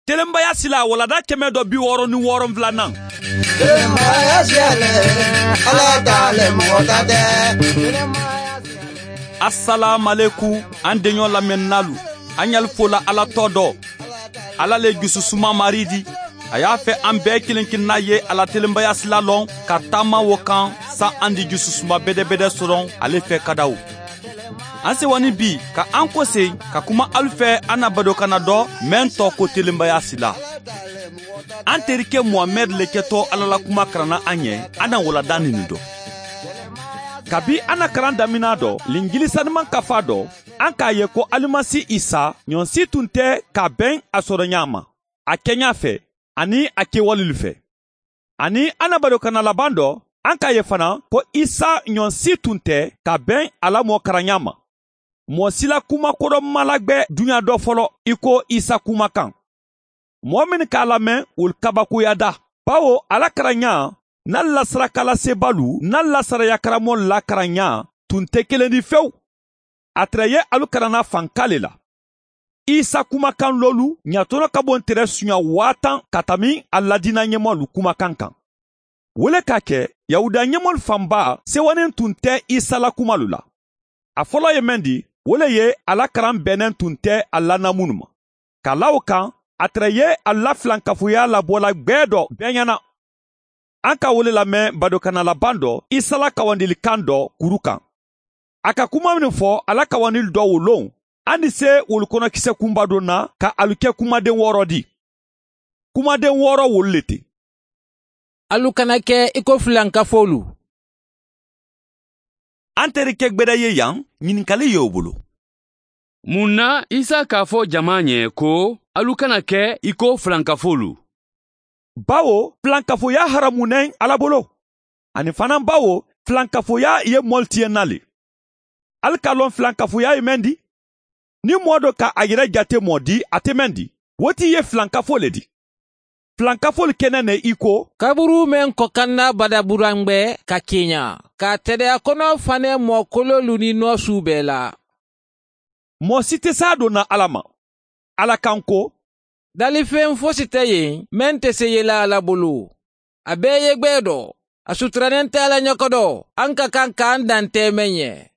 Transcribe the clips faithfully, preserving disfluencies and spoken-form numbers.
Telenbaya sila walanda kɛmɛ dɔ bi wɔɔrɔ ni wɔɔrɔnwulanan. Telenbaya sila le, ala ta le mɔgɔ ta tɛ. Asalaamualekum, an deɲɔ lamɛnninaalu, an ɲali fola ala tɔ dɔ. Ala le jususuma mari di. A y'a fɛ an bɛɛ kelen kelenna ye a la telenbaya sila lɔn ka taama wo kan, sa an di jususuma bɛdɛbɛdɛ sɔrɔ ale fɛ kadaw. An sewani bi ka an kose ka kuma alu fɛ, an na badokanna dɔ mɛn tɔ ko telenbaya sila. An terike muhamɛd le kɛtɔ ala la kuma karanna an ye, an na walanda nini dɔ. Kabi an na karan damina dɔ linjili saniman kafa dɔ, an k'a ye ko alimasi isa ɲɔnsi tun tɛ ka bɛn a sɔrɔɲa ma, a kɛɲa fɛ, ani a kewalelu fɛ. Ani an na badokanna laban dɔ, an k'a ye fana ko isa ɲɔnsi tun tɛ ka bɛn a la mɔɔ karanɲa ma. Mɔɔ sila kuma kodɔnma la gbɛ duɲa dɔ fɔlɔ i ko isa kumakan. Mɔɔ mennu k'a lamɛn wolu kabakoyada, bawo a la karanɲa n'a la sarakalasebaalu n'a la sariyakaramɔgɔlu la karanɲa tun tɛ kelen di fewu. A tere ye alu karanna fanka le la. Isa kumakan loolu ɲatɔnɔ ka bo ntere suɲa waa tan ka tanbi a la diina ɲɛmɔgɔlu kumakan kan. Wo le ka kɛ, yahudiya ɲɛmɔgɔlu fanba sewanen tun tɛ isa la kumalu la. A fɔlɔ ye men di, wo le ye a la karan bɛnnen tun tɛ a la naamunu ma. Ka la wo kan, a tere ye a la filankafoya labɔla gbɛ dɔ bɛɛ ɲɛna. An ka wo le lamɛn badokanna laban dɔ isa la kawandilikan dɔ kuru kan. A ka kuma mennu fɔ a la kawandili dɔ wo loŋ, an ni se wolu kɔnɔ kisɛ kunba dɔ na ka alu ke kumaden wɔɔrɔ di. Kumaden wɔɔrɔ wolu le ti. Alu kana ke i ko filankafoolu. An terike gbeda ye yan, ɲininkali ye wo bolo. Mun na isa k'a fɔ jama ɲɛ ko alu kana ke i ko filankafoolu? Bawo filankafoya haramunen ala bolo, ani fana bawo filankafoya ye mɔlu tiɲɛna le. Ali ka lɔn filankafoya ye men di? Ni mɔɔ dɔ ka a yere jate mɔɔ di a te men di, wo ti ye filankafo le di. Filankafoolu kene ne i ko, kaburu men kɔkanna badaburangbɛ ka keɲa, ka tedeya kono fane mɔɔ kololu ni nɔɔsu bɛɛ la. Mɔɔ si te saa donna ala ma. Ala kan ko, dalifen fosi te yen men te seyela ala bolo. A bee ye gbee dɔ. A suturanen te ala ɲokodɔ. An ka kan ka an dan te men ye.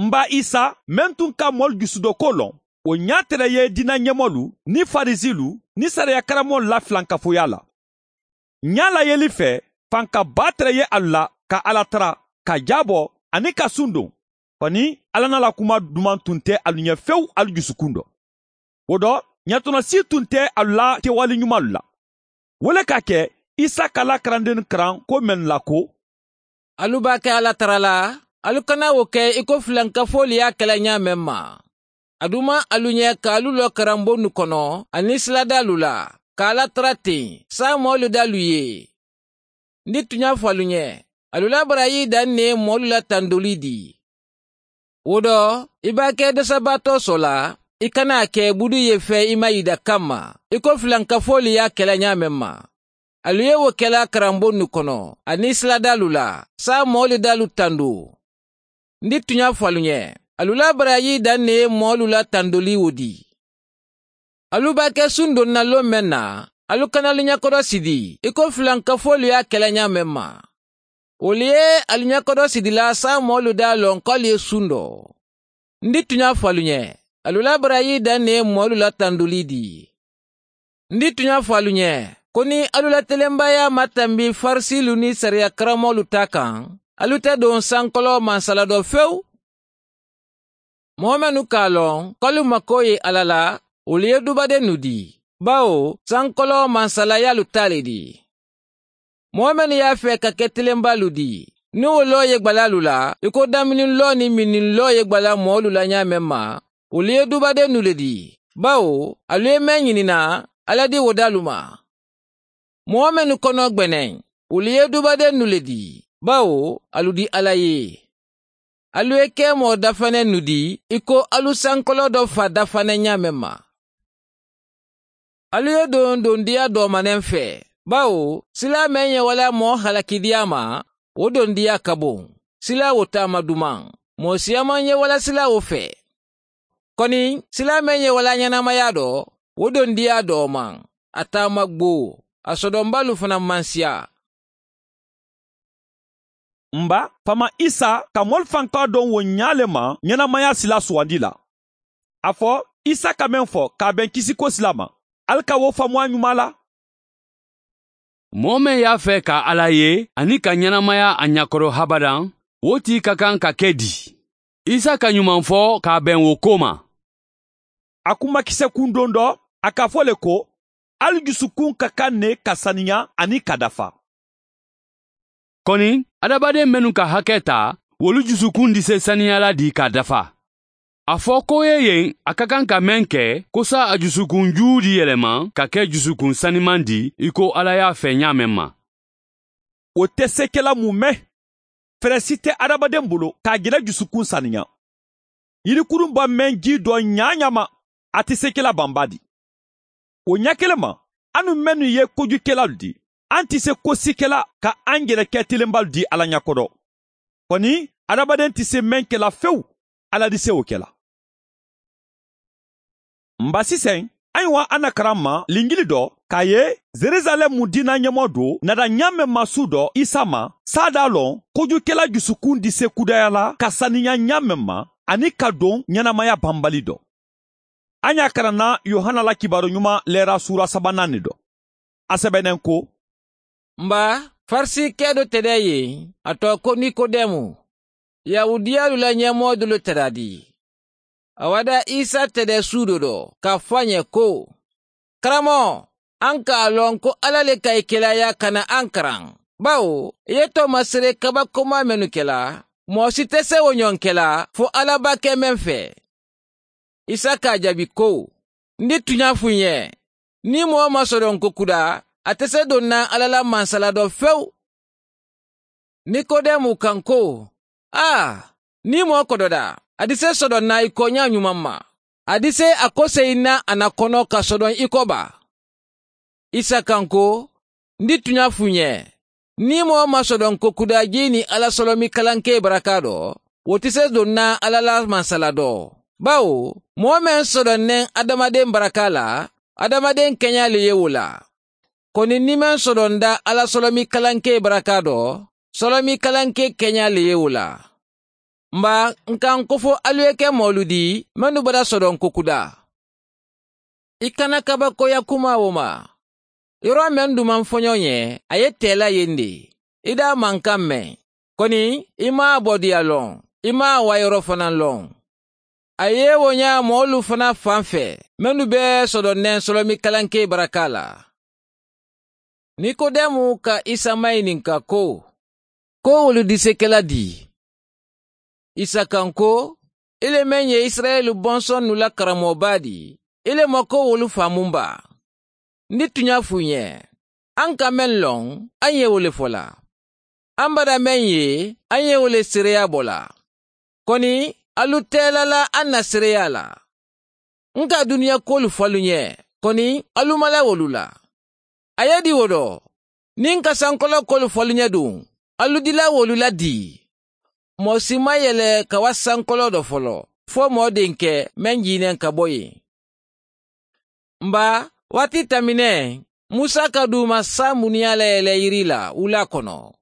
N ba isa men tun ka mɔlu jusudoko lɔn, wo ɲa tere ye diina ɲemolu ni farisilu ni sariyakaramolu la filankafoya la. Ɲa layeli fɛ, fanka baa tere ye alu la ka ala tara, ka jaabɔ, ani ka sundon. Kɔni, ala na la kuma duman tun tɛ alu ɲɛ fewu alu jusukun dɔ. Wo dɔ, ɲatɔnɔ si tun tɛ alu la kewale ɲumalu la. Wo le ka kɛ, isa ka la karandennu karan ko mennu la ko, alu b'a kɛ ala tara la, alu kana wo kɛ i ko filankafoolu ye a kɛla ɲaa men ma. A duman alu ɲɛ ka alu lɔ karanbonnu kono, ani siladaalu la, ka ala tara ten, saamoolu daalu ye. N di tuɲa fo alu ɲɛ, alu la barayi dan ne ye moolu la tandoli di. Wo dɔ, i b'a ke desabaatoo so la, i kana a ke budu ye fe i ma yida kamma, i ko filankafoolu ye a kela ɲaa men ma. Alu ye wo kela karanbonnu kono, aniŋ siladaalu la, saamoolu daalu tandu. N di tuɲa fo alu ɲe, alu la barayi dan ne ye moolu la tandoli wo di. Alu b'a ke sundon na lon men na, alu kana alu ɲakodo sidi i ko filankafoolu ye a kela ɲaa men ma. Wolu ye alu ɲakodo sidila saamoolu daa loŋ ko alu ye sundo. N di tuɲa fo alu ɲe, alu la barayi dan ne ye moolu la tanduli di. N di tuɲa fo alu ɲe, ko niŋ alu la telembaaya maŋ tambi farisilu niŋ sariya karamoolu taa kaŋ, alu te doŋ sankoloo mansala do fewu. Moo mennu ka a loŋ ko alu makoo ye alla la, wolu ye dubadennu di, bawo sankoloo mansalayaalu taa le di. Moo mennu ye a fee ka ke telembaalu di, niŋ wo loo ye gbalaalu la i ko daminiŋ loo niŋ minniŋ loo ye gbalaa moolu la ɲaa meŋ ma, wolu ye dubadennu le di, bawo alu ye meŋ ɲininaa, alla di wo daalu ma. Moo mennu kono gbeneŋ, wolu ye dubadennu le di, bawo alu di alla ye. Alu ye ke moo dafanennu di i ko alu sankoloo do fa dafaneŋ ɲaa meŋ ma. Alu ye doŋ dondiya doomaneŋ fee, bawo silaa meŋ ye walla moo halakidiyaa ma, wo dondiya ka boŋ. Silaa wo taama dumaŋ, moo siyamaŋ ye walla silaa wo fee. Koni silaa meŋ ye walla ɲenamaya do, Wo dondiyaa doo maŋ. A taama gboo. A sodonbaalu fanaa maŋ siyaa. M ba, faama isa ka moolu fankaŋo doŋ wo ñaa le ma ñanamayaa silaa suwandi la. A fo isa ka meŋ fo ka a beŋ kisikosilaa ma, ali ka wo faamu a ñumaa la. Moo meŋ ye a fee ka alla ye aniŋ ka ñanamaya a ñakoto habadaŋ, wo tii ka kaŋ ka ke dii. Isa ka ñumaŋ fo ka a beŋ wo kooma. A kumakise kundoŋ do, a ka a fo le ko, ali jusukuŋ ka kaŋ ne ka saniya aniŋ ka dafa. Koni, adamadeŋ mennu ka hake taa, wolu jusukuŋ dise saniyala di ka dafa. A fo ko ye yeŋ a ka kaŋ ka meŋ ke, kosa a jusukuŋ juudi yelema ka ke jusukuŋ sanimaŋ di i ko alla ye a fee ñaameŋ ma. Wo te sekela mu meŋ? Fere si te adamadeŋ bulu ka a jele jusukuŋ saniya. Yirikurun ba meŋ jii doo ñaañaama, a te sekela bambaa di. Wo ñakelema, anu mennu ye kojukelalu di, an te se kosikela ka an jele ke tilembalu di alla ñakoto. Koni, adamadeŋ te se meŋ kela fewu, alla di se wo kela. M ba siseŋ, a ye wa a na karamma linjili do ka a ye, jerusalem diina ñemoo do nata ñaameŋ ma suu do isa ma, saadaa loŋ kojukela jusukuŋ dise kudaya la ka saniya ñaameŋ ma, aniŋ ka doŋ ñanamaya bambali do. A ye a karanna yohana la kibaaru ñuma leera suura sabanaaŋ ne do. A sebeneŋ ko, m ba, farisi kee do tede ye, a too ko nikodemu, yahudiyalu la ñemoo dulu tadaadi. A wada isa tede suudo do ka a fo a ñe ko, karamo, an ka a loŋ ko alla le ka i kelaayaa kana an karaŋ. Bawo i ye toomasere kabakomaa mennu kela, moo si te se wo ñoŋ kela fo alla ba ke meŋ fee. Isa ka a jaabi ko, n di tuña fu ǹ ye, niŋ moo ma sodonko kudaa, a te se doŋ naŋ alla la mansala do fewu. Nikodemu kaŋ ko, aa, niŋ moo kododa, a di se sodoŋ naŋ i kooñaa ñumaŋ ma? A di se a koseyi naŋ a na kono ka sodoŋ i ko baa? Isa kaŋ ko, n di tuña fu ǹ ye, niŋ moo ma sodonko kudaa jii niŋ alla solomikalankee barakaa do, wo te se doŋ naŋ alla la mansala do. Bawo moo meŋ sodoŋ neŋ adamadeŋ barakaa la, adamadeŋ keñaa le ye wo la. Koni niŋ meŋ sodoŋ da alla solomikalankee barakaa do, solomikalankee keñaa le ye wo la. M ba, n ka n kofo alu ye ke moolu di mennu bada sodonko kudaa. I kana kabakoya kumaa wo ma. Yoroo meŋ dumaŋ foñoo ǹ ye, a ye teela ye n de. I daa maŋ kaŋ meŋ, koni i maŋ a bodiya loŋ, i maŋ a waayoroo fanaa loŋ. A ye wo ñaa moolu fanaa faŋ fee mennu be sodoŋ neŋ solomikalankee barakaa la. Nikodemu ka isa mayininka ko, ko wolu di se ke la dii? Isa kaŋ ko, i le meŋ ye isirayeli bonsonnu la karamoo baa di, i le ma ko wolu faamu n baa? N di tuña fu ǹ ye, an ka meŋ loŋ, an ye wo le fo la. An bada meŋ ye, an ye wo le seereyaa bo la. Koni, alu teela la an na seereyaa la. N ka duniya kuwolu fo alu ñe, koni alu mala wolu la. A ye di wo do, niŋ n ka sankoloo kuwolu fo alu ñe duŋ, alu dila wolu la dii. Moo si maŋ yele ka wa sankoloo do folo, fo moo dinke meŋ jiineŋ ka bo ì. M ba, waati tamineŋ, musa ka duuma saa muniyaa la yele yiri la wulaa kono.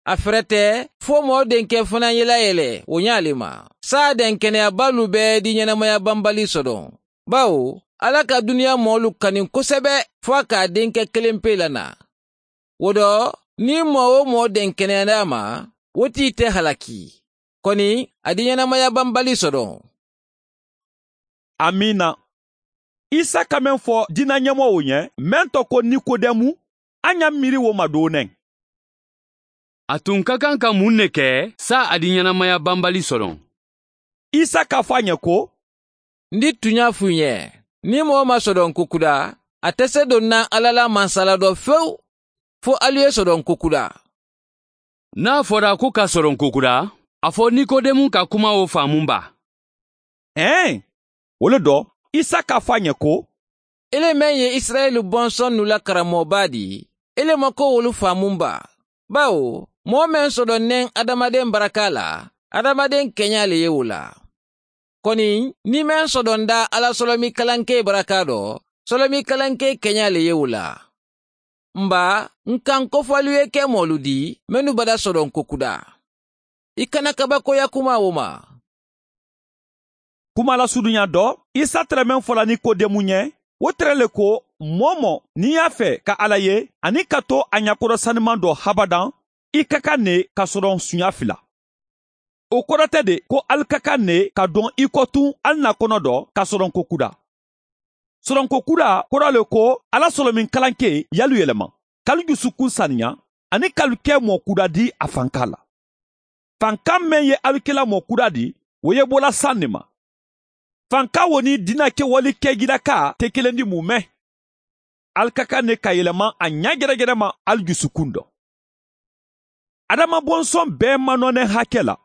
A ferete, fo moo denke fanaa ye la yele wo ñaa le ma, saa denkeneyaa baalu be di ñanamaya bambali sodoŋ. Bawo alla ka duniyaa moolu kaniŋ kosebe, fo a ka a denke keleŋ pee la naa. Wo do, niŋ moo-wo-moo denkeneyaata a ma, wo tii te halaki. Koni, a di ñanamaya bambali sodoŋ. Amiina. Isa ka meŋ fo diina ñemoo wo ǹ ye, meŋ to ko nikodemu, a ña miiri wo ma doo neŋ. A tun ka kaŋ ka muŋ ne ke, saa a di ñanamaya bambali soloŋ? Isa ka fo a ñe ko, n di tuñaa fu ǹ ye, niŋ moo ma sodonko kudaa, a te se doŋ naŋ alla la mansala do fewu, fo alu ye sodonko kudaa. Niŋ a fota ko ka sodonko kudaa, a fo nikodemu ka kuma wo faamu n baa? Eeŋ. Wo le do, isa ka fo a ñe ko, i le meŋ ye isirayeli bonsonnu la karamoo baa di, i le ma ko wolu faamu n baa? Bawo moo meŋ sodoŋ neŋ adamadeŋ barakaa la, adamadeŋ keñaa le ye wo la. Koni, niŋ meŋ sodoŋ da alla solomikalankee barakaa do, solomi kalankee keñaa le ye wo la. N baa, n ka n kofaalu ye ke moolu di mennu bada soronko kudaa. I kana kabakooya kumaa wo ma. Kuma la suduɲa dɔ, isa tere meŋ fola nikodemu ɲe, wo tere le ko, moo-wo-moo niŋ i ye a fee ka alla ye aniŋ ka to a ɲakoto sanimaŋ do habadaŋ, i ka kaŋ ne ka soroŋ suɲa fila. Wo korete de ko ali ka kaŋ ne ka doŋ i ko tuŋ ali na kono do ka soronko kudaa. Soronko kudaa koro le ko, alla solomiŋ kalankee ye alu yelema, ka alu jusukun saniya, aniŋ ka alu ke moo kudaa di a fankaa la. Fankaa meŋ ye alu ke la moo kudaa di, wo ye bo la saŋ ne ma. Fankaa wo niŋ diina kewali ke jirakaa te kelendi mume. Ali ka kaŋ ne ka yelema a ɲaa jerejerema ali jusukun do. Adama bonsoŋ bee maŋ noo ne hake la.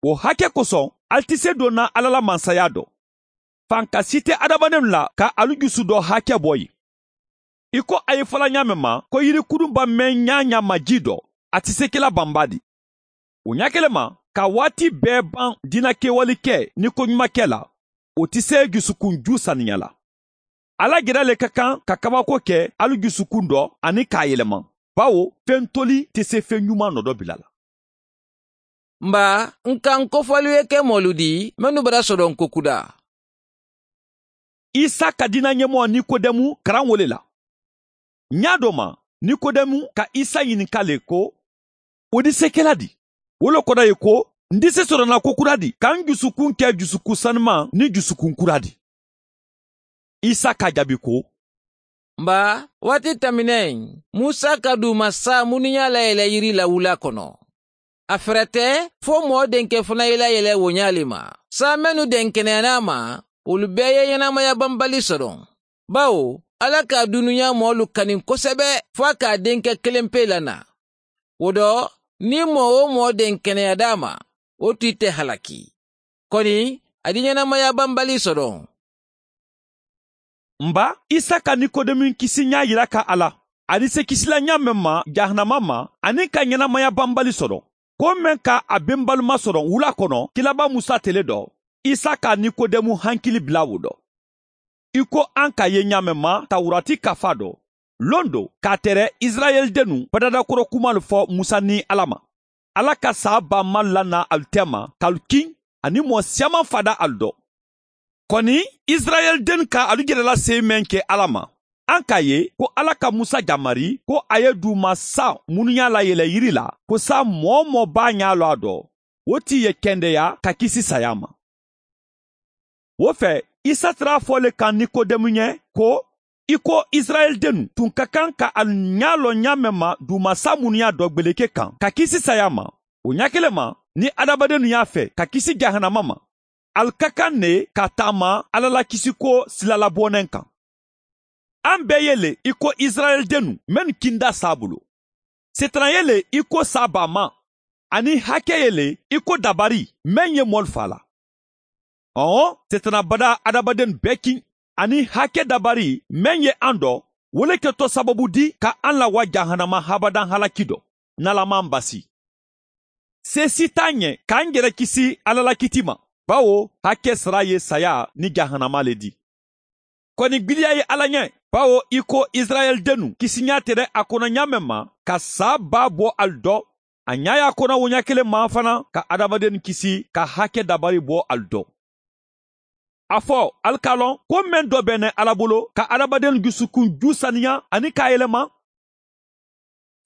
Wo hake kosoŋ, ali ti see doo naa alla la mansayaa do. Fanka si te adamadenw la ka alu jusu do hake bo ì. I ko a ye fo la ɲaameŋ ma ko yirikudunba meŋ ɲaa ɲaa ma jii do, a ti see ke la bambaa di. Wo ɲaa kele ma, ka waati bee baŋ diina kewali ke niŋ koɲumakela, wo ti see jusukun juu saniya la. Alla jera le ka kaŋ ka kabako ke alu jusukun do aniŋ ka a yelema, bawo feŋ toli te see feŋ ɲumaŋ noo do bila la. N baa, n ka n kofaalu ye ke moolu di mennu bada soronko kudaa. Isa ka diina ɲemoo nikodemu karaŋ wo le la. Ɲaa doo ma, nikodemu ka isa ɲininka le ko, wo di seekela di? Wo le koda ye ko, n di see soroŋ na ko kudaa di ka n jusukun ke jusukun sanimaŋ niŋ jusukun kudaa di? Isa ka a jaabi ko, n baa, waati tambineŋ, musa ka duuma saa munuyaa la yele yiri la wulaa kono. A ferete fo moo denke fana ye la yele wo ɲaa le ma. Saa mennu denkeneyana a ma, wolu bee ye ɲenamaya banbali soroŋ. Bawo alla ka a dunuyaa moolu kaniŋ kosebe fo a ka a denke kelenpee la naa. Wo do, niŋ moo-wo-moo denkeneya daa ma, wo tii te halaki. Koni, a di ɲenamaya banbali soroŋ. N baa, isa ka nikodemu kisi ɲaa yira ka alla, a di see kisi la ɲaa meŋ ma jahanama ma, aniŋ ka ɲenamaya banbali soroŋ, ko meŋ ka a benbalu masoroŋ wulaa kono kilaabaa musa tele do. Isa ka nikodemu hankili bila wo do. I ko an ka ye ɲaa meŋ ma tawurati kafaa do, londo ka a tere isirayeli dennu badada koro kumaalu fo musa niŋ alla ma. Alla ka saa baamaa lana alu tema ka alu kiŋ, aniŋ moo siyaamaŋ faada alu do. Koni, isirayeli dennu ka alu jerela seyi meŋ ke alla ma, an ka a ye ko alla ka musa jamari ko a ye duuma saa munuyaa la yele yiri la, ko saa moo-wo-moo be a ɲaa loŋ a do, wo tii ye kendeya ka kisi sayaa ma. Wo fee, isa tara a fo le kaŋ nikodemu ɲe ko, i ko isirayeli dennu tun ka kaŋ ka alu ɲaa loŋ ɲaa meŋ ma duuma saa munuyaa do gbeleke kaŋ ka kisi sayaa ma, wo ɲaa kele ma, niŋ adamadennu ye a fee ka kisi jahanama ma, alu ka kaŋ ne ka taama alla la kisiko sila la booneŋ kaŋ. An bee ye le i ko isirayeli dennu mennu kindaa saa bulu. Setana ye le i ko saa baamaa, aniŋ hake ye le i ko dabari meŋ ye moolu faa la. Ɔɔ, setana badaa adamadennu bee kiŋ, aniŋ hake dabari meŋ ye aŋ do, wo le ke to sababu di ka aŋ la wa jahanama habadaŋ halaki do. N ala maŋ basi. See si taa ɲe ka n jere kisi alla la kiti ma, bawo hake sara ye sayaa niŋ jahanama le di. Koni gbiliya ye alla ɲe, bawo i ko isirayeli dennu kisiɲaa tere a kono ɲaa meŋ ma ka saa baa bo alu do, a ɲaa ye a kono wo ɲaa kele ma fanaŋ ka adamadennu kisi ka hake dabari bo alu do. A fo alu ka a loŋ ko meŋ do be ne alla bulu ka adamadennu jusukun juu saniya aniŋ ka a yelema.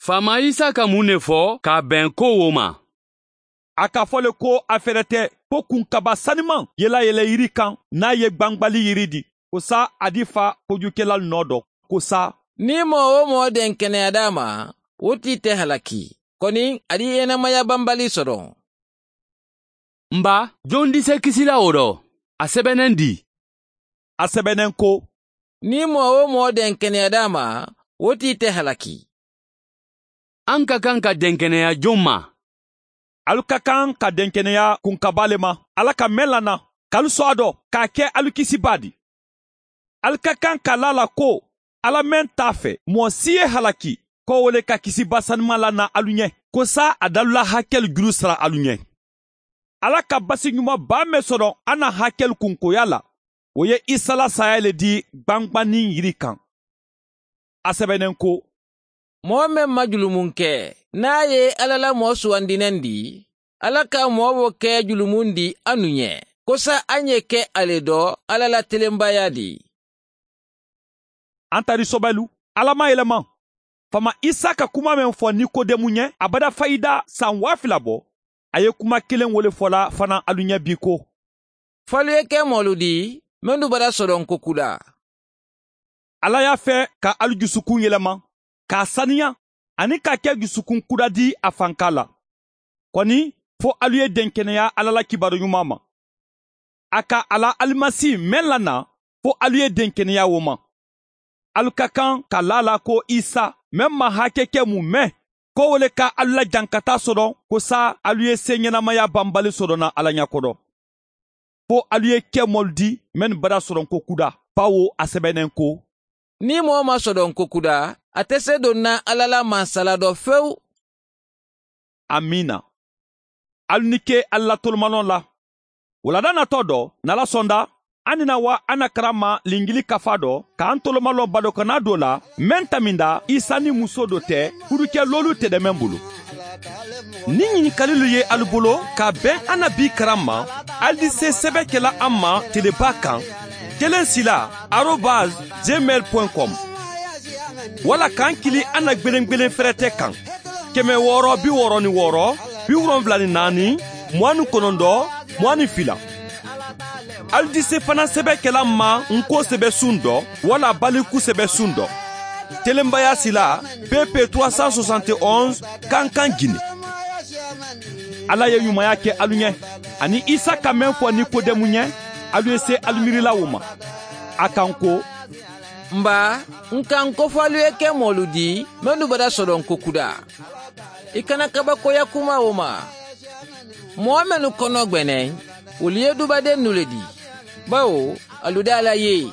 Faamaa isa ka muŋ ne fo ka a beŋ ko wo ma? A ka fo le ko a ferete fo kunkaba sanimaŋ ye la yele yiri kaŋ niŋ a ye gbangbali yiri di, ko saa a di fa kojukelalu noo do, ko saa, niŋ moo-wo-moo denkeneya daa ma, wo tii te halaki, koni a di yenemaya banbali soroŋ. N baa, joŋ di see kisi la wo do? A sebeneŋ di? A sebeneŋ ko, niŋ moo-wo-moo denkeneya daa ma, wo tii te halaki. Aŋ ka kaŋ ka denkeneya joŋ ma? Alu ka kaŋ ka denkeneya kunkabaa le ma alla ka meŋ lana, ka alu soo a do ka a ke alu kisibaa di. Alu ka kaŋ ka laa a la ko, alla meŋ te a fee moo si ye halaki, ko wo le ka kisibaa sanimaŋ lana alu ɲe, ko saa a dalula hakelu julu sara alu ɲe. Alla ka basi ɲuman baa meŋ soto a na hakelu kunkoya la, Wo ye isa la saya le di gbangbanniŋ yiri kaŋ. A sebeneŋ ko, moo meŋ maŋ julumu ke, niŋ a ye alla la moo suwandi neŋ di, alla ka moo wo ke julumu di a nu ɲe, kosa a ɲe ke a le do alla la telembaaya di. Antarisɔbɛlu, alla maŋ yelema. Faama isa ka kuma meŋ fo nikodemu ɲe a bada fayida san waa fila bo. A ye kuma kiliŋ wo le fola fanaa alu ɲe bii ko, fo alu ye ke moolu di mennu bada sodonko kudaa. Alla ye a fee ka alu jusukuŋ yelema, ka a saniya, aniŋ ka a ke jusukuŋ kudaa di a fankaa la. Koni, fo alu ye denkeneyaa alla la kibaaru ɲumaa ma. A ka a la alimasi meŋ la naa, fo alu ye denkeneyaa wo ma. Alu ka kaŋ ka laa a la ko isa meŋ maŋ haake ke mu meŋ, ko wo le ka alu la jankataa sodoŋ, ko saayiŋ alu ye seeɲenamaya banbali sodoŋ na alla ɲa kodo. Fo alu ye ke moolu di mennu bada sodonko kudaa, bawo a sebeneŋ ko, niŋ moo maŋ sodonko kudaa, a te seedoŋ na alla la mansala do fewu. Amiina. Alu ni ke alla la tolomaloo la. Wulada natoo do, niŋ alla sonda, a ni na waa a na karamma linjili kafaa do ka a tolomaloo badokanaa doo la, meŋ taminda isa niŋ musoo do te kuduke loolu te demeŋ bulu. Niŋ ɲininkalilu ye alu bulu ka a beŋ a na bii karamma, alu di see sebe ke la a ma telebaa kaŋ, keleŋ sila, arobas, gmail point com. Walla ka a kili a na gbelengbelen ferete kaŋ, keme wooro bi wooro ni wooro, bi woronfula ni naani, muwaani konondo, muwaani fila. Alu di see fanaa sebe ke la a ma n ko sebe suŋ do, walla baliku sebe suŋ do. Telembaaya sila, pp trois cent soixante et onze, kankan gine. Alla ye ɲumaya ke alu ɲe, aniŋ isa ka meŋ fo nikodemu ɲe, alu ye see alu miirila wo ma. A kaŋ ko, n baa, n kaŋ ko fo alu ye ke moolu di mennu bada sodonko kudaa. I kana kabakoya kuma wo ma. Moo mennu kono gbeneŋ, wolu ye dubadennu le di, bawo alu de a la ye.